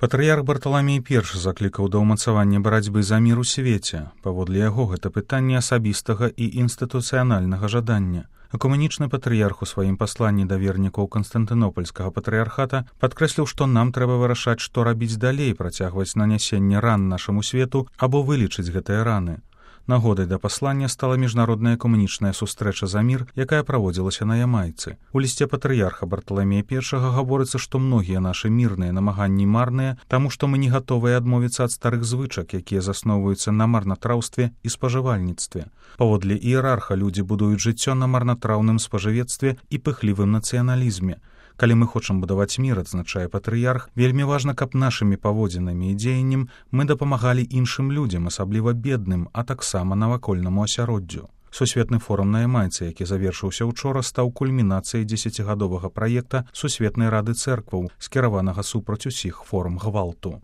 Патрыярх Барталамей I заклікаў да ўмацавання барацьбы за мір у свеце. Паводле яго гэта пытанне асабістага і інстытуцыянальнага жадання. Экумэнічны патрыярх у сваім пасланні да вернікаў Канстантынопольскага патрыярхата падкрэсліў, што нам трэба вырашаць, што рабіць далей, працягваць нанясенне ран нашаму свету або вылечыць гэтыя раны. Нагодай да паслання стала міжнародная экумэнічная сустрэча за мір, якая праводзілася на Ямайцы. У лісце патрыярха Барталамея I гаворыцца, што многія нашы мірныя намаганні марныя, таму што мы не гатовыя адмовіцца ад старых звычак, якія засноўваюцца на марнатраўстве і спажывальніцтве. Паводле іерарха людзі будуюць жыццё на марнатраўным спажывецтве і пыхлівым нацыяналізме. Калі мы хочам будаваць мір, адзначае патрыярх, вельмі важна, каб нашымі паводзінамі і дзеяннем мы дапамагалі іншым людзям, асабліва бедным, а таксама навакольнаму асяроддзю. Сусветны форум на Ямайцы, які завершыўся учора, стаў кульмінацыяй 10-гадовага праекта Сусветнай рады цэркваў, скіраванага супраць усіх форм гвалту.